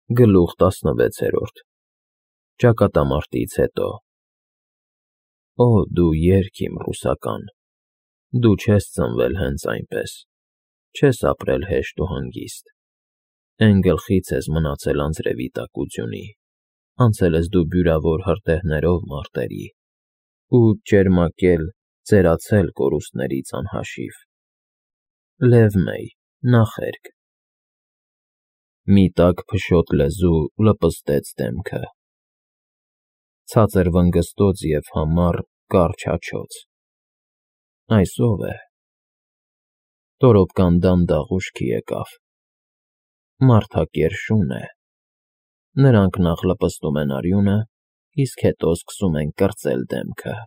Գլուխ 16 Ճակատամարտից հետո Օ, դու երգ իմ ռուսական, դու չես ծնվել հենց այնպես, չես ապրել հեշտ ու հանգիստ, էն գլխից ես մնացել անձրևի տակությունի, անցել ես դու բյուրավոր հրդեհներով մարտերի, ու ճերմակել, ծերացել կորուստներից անհաշիվ, Լև Մեյ, նախերգ Մի տաք փշոտ լեզու լպստեց դեմքը, ցածր վնգստոց և համառ, կարճ հաչոց, այս ո՞վ է, Տորոպկան դանդաղ ուշքի եկավ, մարդակեր շուն է, նրանք նախ լպստում են արյունը, իսկ հետո սկսում են կրծել դեմքը,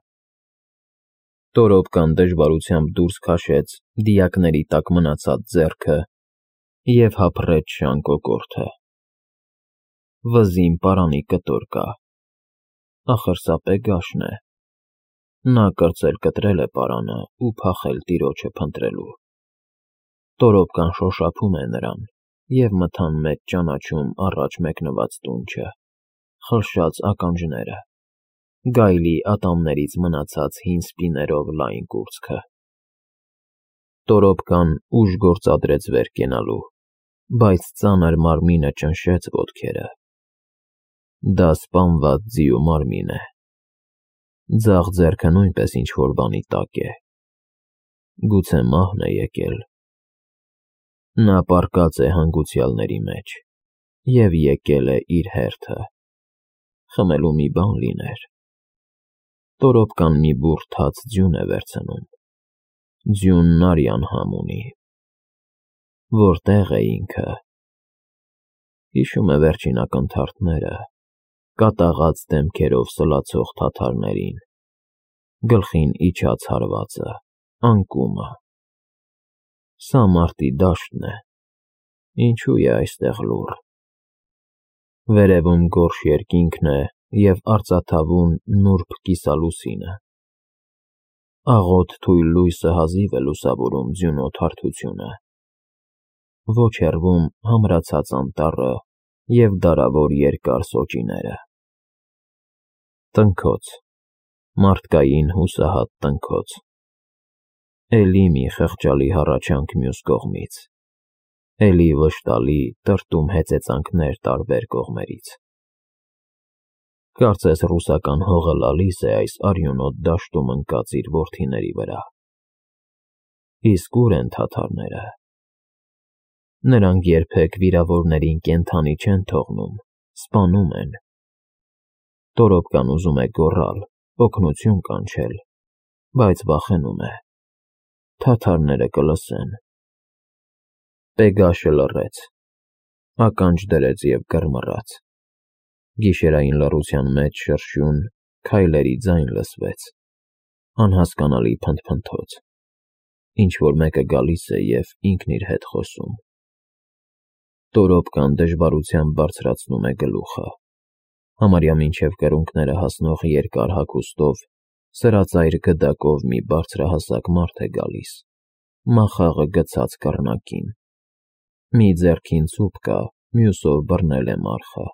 Տորոպկան դժվարությամբ դուրս քաշեց դիակների տակ մնացած ձեռքը և հափռեց շան կոկորդը, վզին պարանի կտոր կա, ախր սա Պեգաշն է, նա կրծել-կտրել է պարանը ու փախել տիրոջը փնտրելու, Տորոպկան շոշափում է նրան և մթան մեծ ճանաչում առաջ մեկնված տունչը, խլշաց ականջները, գայլի ատամներից մնացած հին սպիներով լայն կուրծքը, Տորոպկան ուժ գործադրեց վեր կենալու, բայց ծանր մարմինը ճնշեց ոտքերը, դա սպանված ձիու մարմին է, ձախ ձեռքը նույնպես ինչ-որ բանի տակ է, գուցե մահն է եկել, նա պառկած է հանգուցյալների մեջ և եկել է իր հերթը, խմելու մի բան լիներ, Տորոպկան մի բուռ թաց ձյուն է վերցնում, ձյունն արյան համ ունի, որտե՞ղ է ինքը, հիշում է վերջին ակնթարթները, կատաղած դեմքերով սլացող թաթարներին, գլխին իջած հարվածը, անկումը, սա մարտի դաշտն է, ինչու է այստեղ լուռ, վերևում գորշ երկինքն է և արծաթավուն նուրբ կիսալուսինը, աղոտ թույլ լույսը հազիվ է լուսավորում ձյունոտ հարթությունը, ոչ հեռվում համրացած անտառը և դարավոր երկար սոճիները, տնքոց, մարդկային հուսահատ տնքոց, էլի մի խղճալի հառաչանք մյուս կողմից, էլի վշտալի տրտում հեծեծանքներ տարբեր կողմերից, կարծես ռուսական հողը լալիս է այս արյունոտ դաշտում ընկած իր որդիների վրա, իսկ ուր են թաթարները, նրանք երբեք վիրավորներին կենդանի չեն թողնում, սպանում են, Տորոպկան ուզում է գոռալ, օգնություն կանչել, բայց վախենում է, թաթարները կլսեն, Պեգաշը լռեց, ականջ դրեց և կռմռաց, գիշերային լռության մեջ շրշյուն, քայլերի ձայն լսվեց, անհասկանալի փնթփնթոց, ինչ-որ մեկը գալիս է և ինքն իր հետ խոսում, Տորոպկան դժվարությամբ բարձրացնում է գլուխը, համարյա մինչև կրունկները հասնող երկար հագուստով, սրածայր գդակով մի բարձրահասակ մարդ է գալիս, մախաղը գցած կռնակին, մի ձեռքին ցուպ կա, մյուսով բռնել է մարխը,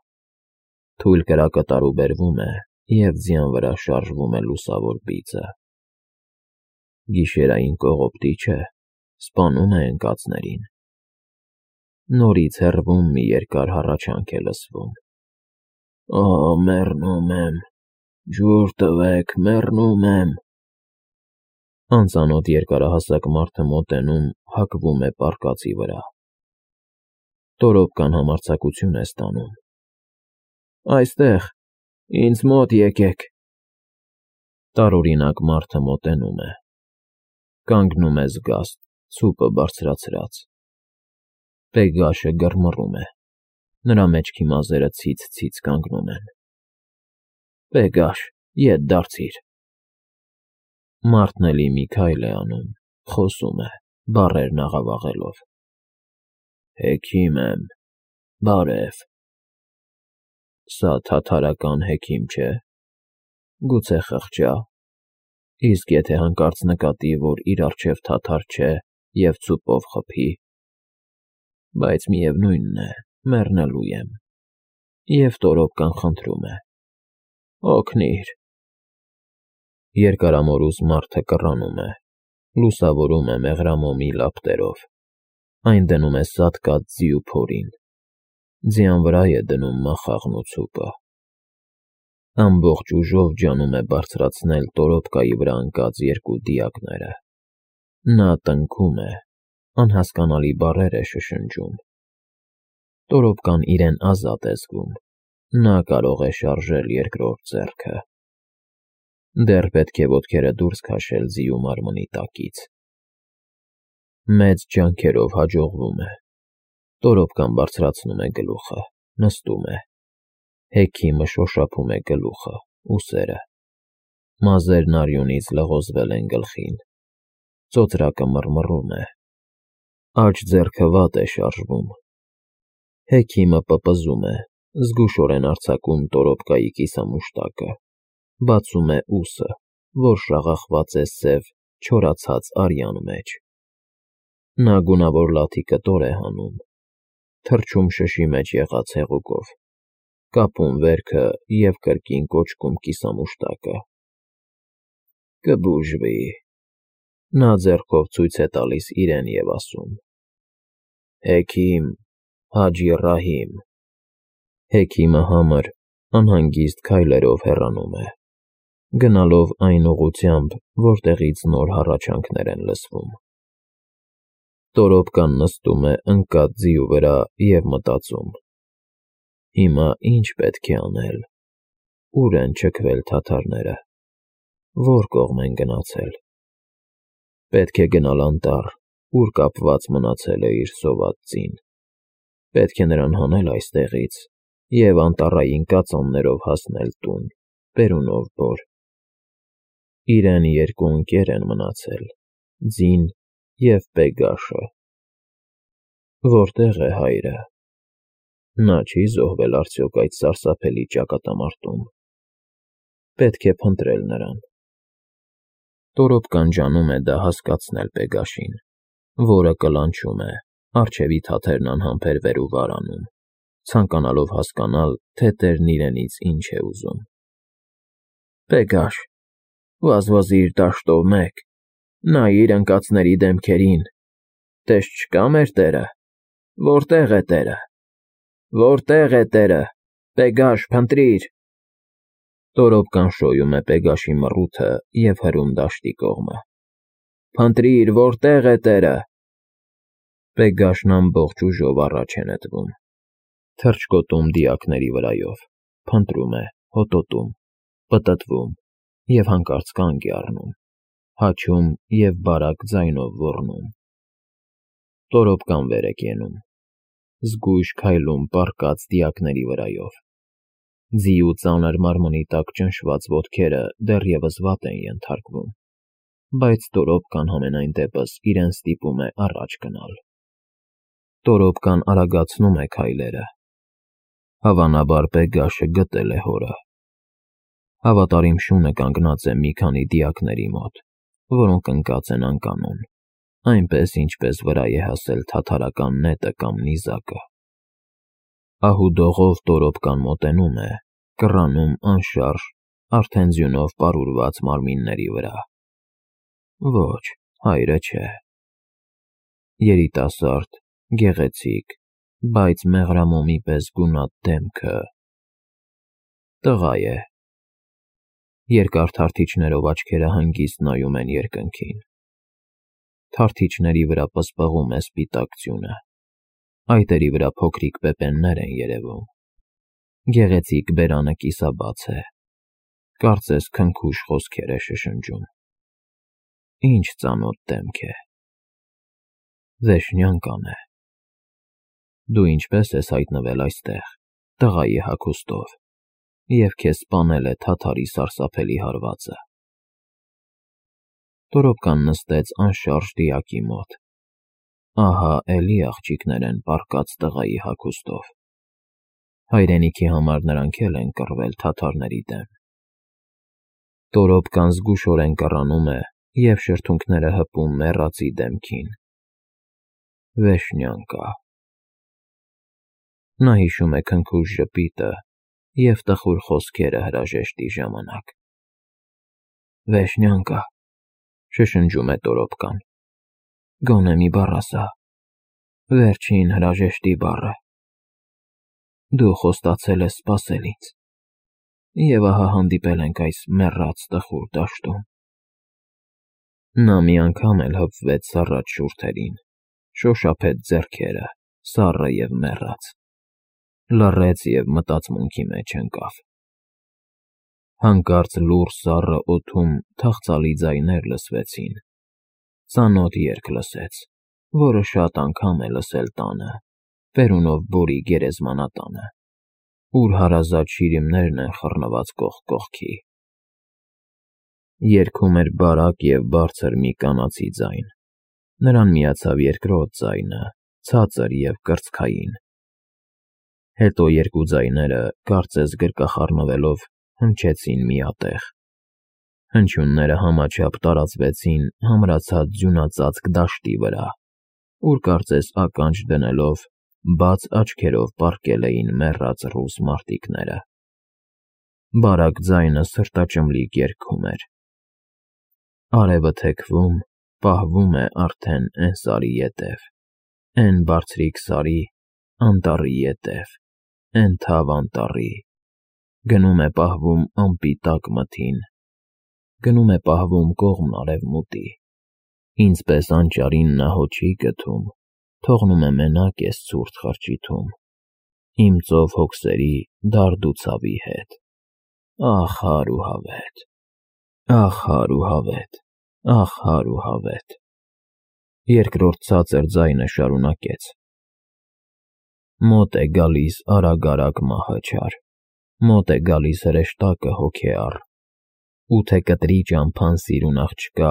թույլ կրակը տարուբերվում է և ձյան վրա շարժվում է լուսավոր բիծը, գիշերային կողոպտի չէ, սպանում է ընկածներին, նորից հեռվում մի երկար հառաչանք է լսվում, Օ, մեռնում եմ, ջուր տվեք, մեռնում եմ, անծանոթ երկարահասակ մարդը մոտենում, հակվում է պառկածի վրա, Տորոպկան համարձակություն է ստանում, այստեղ, ինձ մոտ եկեք, տարօրինակ մարդը մոտենում է, կանգնում է զգաստ, ցուպը բարձրացրած, Պեգաշը գռմռում է, նրա մեջքի մազերը ցից-ցից կանգնում են, Պեգաշ, ետ դարձիր, մարդն էլի մի քայլ է անում, խոսում է, բառերն աղավաղելով, Հեքիմ եմ, բարև, սա թաթարական հեքիմ չէ, գուցե խղճա, իսկ եթե հանկարծ նկատի, որ իր առջև թաթար չէ և ցուպով խփի, բայց միևնույնն է, մեռնելու եմ, և Տորոպկան խնդրում է. «Օգնիր»։ Երկարամորուս մարդը կռանում է, լուսավորում է մեղրամոմի լապտերով, այն դնում է սատկած ձիու փորին, ձյան վրա է դնում մախաղն ու ցուպը։ Ամբողջ ուժով ջանում է բարձրացնել Տորոպկայի վրա ընկած երկու դիակները։ Նա տնքում է, անհասկանալի բառեր է շշնջում։ Տորոպկան իրեն ազատ է զգում, նա կարող է շարժել երկրորդ ձեռքը։ Դեռ պետք է ոտքերը դուրս քաշել ձիու մարմնի տակից։ Մեծ ջանքերով հաջողվում է։ Տորոպկան բարձրացնում է գլուխը, նստում է։ Հեքիմը շոշափում է գլուխը, ուսերը։ Մազերն արյունից լղոզվել են գլխին։ Ծոծրակը մռմռում է։ Աջ ձեռքը վատ է շարժվում։ Հեքիմը պպզում է, զգուշորեն արձակում Տորոպկայի կիսամուշտակը, բացում է ուսը, որ շաղախված է սև, չորացած արյան մեջ։ Նա գունավոր լաթի կտոր է հանում, թռչում շշի մեջ եղած հեղուկով, կապում վերքը և կրկին կոճկում կիսամուշտակը։ Կբուժվի։ Նա ձեռքով ցույց է տալիս իրեն և ասում. «Հեքիմ Հաջի Ռահիմ»։ Հեքիմը համր, անհանգիստ քայլերով հեռանում է, գնալով այն ուղղությամբ, որտեղից նոր հառաչանքներ են լսվում։ Տորոպկան նստում է ընկած ձիու վրա և մտածում. «Հիմա ի՞նչ պետք է անել, ուր են չքվել թաթարները, ո՞ր կողմ են գնացել։ Պետք է գնալ անտառ, ուր կապված մնացել է իր սոված ձին։ Պետք է նրան հանել այստեղից և անտառային կածաններով հասնել տուն, բերունով բոր։ Իրեն երկու ընկեր են մնացել՝ ձին և Պեգաշը։ Որտե՞ղ է հայրը։ Նա չի՞ զոհվել արդյոք այդ սարսափելի ճակատամարտում։ Պետք է փնտրել նրան»։ Տորոպկան ջանում է դա հասկացնել Պեգաշին, որը կլանչում է, առջևի թաթերն անհամբեր վեր ու վար անում, ցանկանալով հասկանալ, թե տերն իրենից ինչ է ուզում։ «Պեգաշ, վազվզիր դաշտով մեկ, նայիր ընկածների դեմքերին, տես չկա՞ մեր տերը, որտե՞ղ է տերը, որտե՞ղ է տերը, Պեգաշ, փնտրիր»։ Տորոպկան շոյում է Պեգաշի մռութը և հրում դաշտի կողմը։ «Փնտրիր, որտե՞ղ է տերը»։ Պեգաշն ամբողջ ուժով առաջ է նետվում, թռչկոտում դիակների վրայով, փնտրում է, հոտոտում, պտտվում և հանկարծ կանգ է առնում, հաչում և բարակ ձայնով ոռնում։ Տորոպկան վեր է կենում, զգույշ քայլում պառկած դիակների վրայով։ Ձիու ծանր մարմնի տակ ճնշված ոտքերը դեռևս վատ են ենթարկվում, բայց Տորոպկան համենայն դեպս իրեն ստիպում է առաջ գնալ։ Տորոպկան արագացնում է քայլերը։ Հավանաբար Պեգաշը գտել է հորը։ Հավատարիմ շունը կանգնած է մի քանի դիակների մոտ, որոնք ընկած են անկանոն, այնպես, ինչպես վրա է հասել թաթարական նետը կամ նիզակը։ Ահուդողով Տորոպկան մոտենում է, կռանում անշարժ, արդեն ձյունով պարուրված մարմինների վրա։ Ոչ, հայրը չէ։ Երիտասարդ, գեղեցիկ, բայց մեղրամոմի պես գունատ դեմքը… Տղա է։ Երկար թարթիչներով աչքերը հանգիստ նայում են երկնքին։ Թարթիչների վրա պսպղում է սպիտակ ձյունը, այտերի վրա փոքրիկ պեպեններ են երևում։ Գեղեցիկ բերանը կիսաբաց է, կարծես քնքուշ խոսքեր է շշնջում։ Ինչ ծանոթ դեմք է։ Վեշնյանկան է։ Դու ինչպե՞ս ես հայտնվել այստեղ, տղայի հագուստով, և քեզ սպանել է թաթարի սարսափելի հարվածը։ Տորոպկան նստեց անշարժ դիակի մոտ։ Ահա էլի աղջիկներ են պառկած տղայի հագուստով։ Հայրենիքի համար նրանք էլ են կռվել թաթարների դեմ։ Տորոպկան զգուշորեն կռանում է և շրթունքները հպում մեռածի դեմքին։ Վեշնյակա։ Նա հիշում է քնքուշ ժպիտը և տխուր խոսքերը հրաժեշտի ժամանակ։ Վեշնյանկա, շշնջում է Տորոպկան, գոնե մի բառ ասա, վերջին հրաժեշտի բառը։ Դու խոստացել ես սպասել ինձ, և ահա հանդիպել ենք այս մեռած տխուր դաշտում։ Նա մի անգամ էլ հպվեց սառած շուրթերին, շոշափեց ձեռքերը, սառը և մեռած, լռեց և մտածմունքի մեջ ընկավ։ Հանկարծ լուռ սառը օդում թախծալի ձայներ լսվեցին, ծանոթ երգ լսեց, որը շատ անգամ է լսել տանը, բերունով Բորի գերեզմանատանը, ուր հարազատ շիրիմներն են խռնված կողք կողքի։ Երգում էր բարակ և բարձր մի կանացի ձայն, նրան միացավ երկրորդ ձայնը, ցածր և կրծքային։ Հետո երկու ձայները, կարծես գրկախառնվելով, հնչեցին միատեղ։ Հնչյունները համաչափ տարածվեցին համրացած ձյունածածկ դաշտի վրա, ուր կարծես ականջ դնելով, բաց աչքերով պառկել էին մեռած ռուս մարտիկները։ Բարակ ձայնը սրտաճմլիկ երգում էր. Արևը թեքվում, պահվում է արդեն էն սարի ետև, էն բարձրիկ սարի, անտառի ետև, էն թավ անտառի, գնում է պահվում ամպի տակ մթին, գնում է պահվում կողմն արևմուտի, ինձ պես անճարին նա հո չի գթում, թողնում է մենակ էս ցուրտ խրճիթում, իմ ծով հոգսերի դարդ ու ցավի հետ, ախ հար ու հավետ, ախ հար ու հավետ, ախ հար ու հավետ։ Երկրորդ ցածր ձայնը շարունակեց. Մոտ է գալիս արագ-արագ մահը չար, մոտ է գալիս հրեշտակը հոգեառ, ու թե կտրի ճամփան սիրուն աղջկա,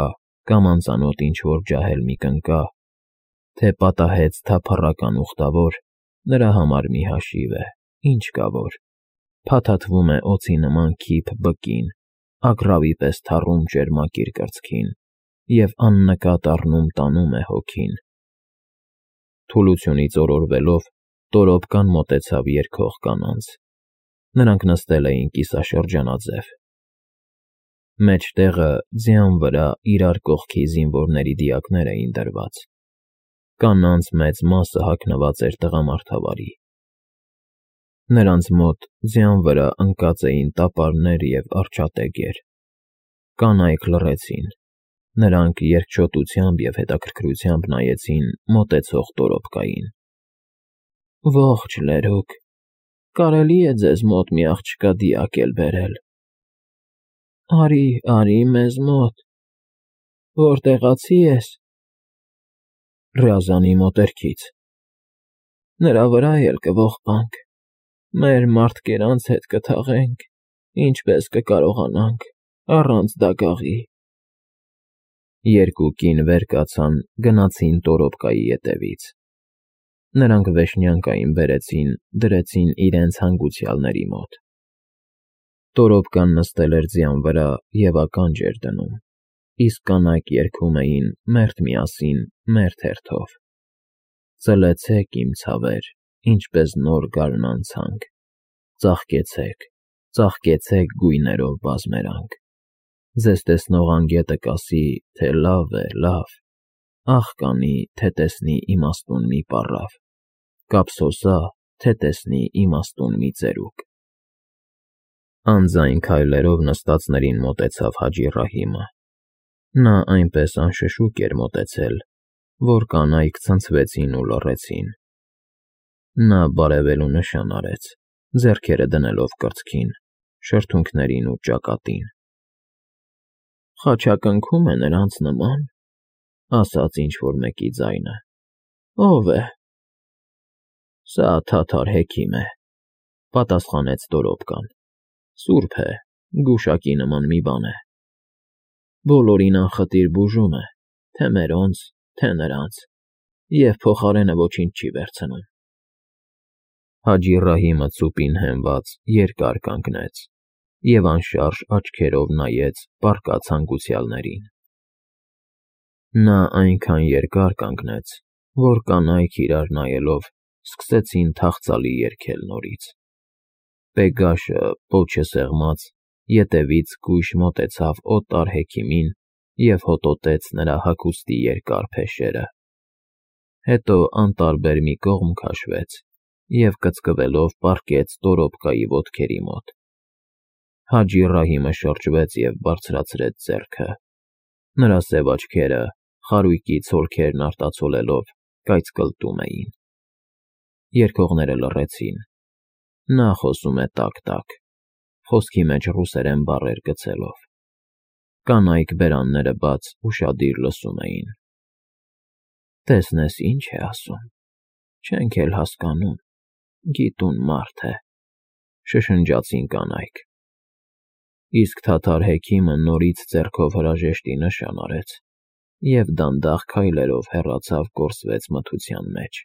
կամ անծանոթ ինչ-որ ջահել մի կնկա, թե պատահեց թափառական ուխտավոր, նրա համար մի հաշիվ է, ինչ կա որ, փաթաթվում է օձի նման քիփ բկին, ագռավի պես թառում ճերմակիր կրծքին, և աննկատ առնում տանում է հոգին։ Թուլությունից օրորվելով, Տորոպկան մոտեցավ երգող կանանց։ Նրանք նստել էին կիսաշրջանաձև։ Մեջտեղը ձյան վրա իրար կողքի զինվորների դիակներ էին դրված։ Կանանց մեծ մասը հագնված էր տղամարդավարի։ Նրանց մոտ ձյան վրա ընկած էին տապարներ և արջատեգեր։ Կանայք լռեցին։ Նրանք երկչոտությամբ և հետաքրքրությամբ նայեցին մոտեցող Տորոպկային։ Ողջ լերուկ, կարելի է ձեզ մոտ մի աղջկա դիակ էլ բերել։ Արի, արի մեզ մոտ, որտեղացի ես։ Ռյազանի մոտերքից։ Նրա վրա էլ կողպանք, մեր մարդկերանց հետ կթաղենք, ինչպես կկարողանանք, առանց դագաղի։ Երկու կին վեր կացան, գնացին Տորոպկայի ետևից։ Նրանք Վեշնյանկային բերեցին, դրեցին իրենց հանգուցյալների մոտ։ Տորոպկան նստել էր ձյան վրա և ականջ էր դնում, իսկ կանայք երգում էին մերթ միասին, մերթ հերթով. Ծլեցեք, իմ ցավեր, ինչպես նոր գարնանցանք, ծաղկեցեք, ծաղկեցեք գույներով բազմերանք, ձեզ տեսնող անգետը կասի, թե լավ է, լավ, աղ կանի, թե տեսնի իմաստուն մի պառավ, կափսոսա, թե տեսնի իմաստուն մի ծերուկ։ Անձայն քայլերով նստածներին մոտեցավ Հաջի Ռահիմը։ Նա այնպես անշշուկ էր մոտեցել, որ կանայք ցնցվեցին ու լռեցին։ Նա բարևելու նշան արեց, ձեռքերը դնելով կրծքին, շրթունքներին ու ճակատին։ Խաչակնքում է նրանց նման, ասաց ինչ-որ մեկի ձայնը։ Ո՞վ է։ Սա թաթար հեքիմ է, պատասխանեց Տորոպկան։ Սուրբ է, գուշակի նման մի բան է։ Բոլորին անխտիր բուժում է, թե մերոնց, թե նրանց, և փոխարենը ոչինչ չի վերցնում։ Հաջի Ռահիմը ծուպին հենված երկար կանգնեց և անշարժ աչքերով նայեց պառկած հանգուցյալներին։ Նա այնքան երկար կանգնեց, որ կանայք իրար նայելով սկսեցին թախծալի երգել նորից։ Պեգաշը, պոչը սեղմած, ետևից գույշ մոտեցավ օտար հեքիմին և հոտոտեց նրա հագուստի երկար փեշերը։ Հետո անտարբեր մի կողմ քաշվեց և կծկվելով պառկեց Տորոպկայի ոտքերի մոտ։ Հաջի Ռահիմը շրջվեց և բարձրացրեց ձեռքը։ Նրա սև աչքերը, խարույկի ցոլքերն արտացոլելով, կայծկլտում էին։ Երգողները լռեցին։ Նա խոսում է տակ֊տակ, խոսքի մեջ ռուսերեն բառեր գցելով։ Կանայք բերանները բաց ուշադիր լսում էին։ «Տեսնես ինչ է ասում, չենք էլ հասկանում, գիտուն մարդ է», շշնջացին կանայք։ Իսկ թաթար հեքիմը նորից ձեռքով հրաժեշտի նշան արեց և դանդաղ քայլերով հեռացավ կորսվեց մթության մեջ։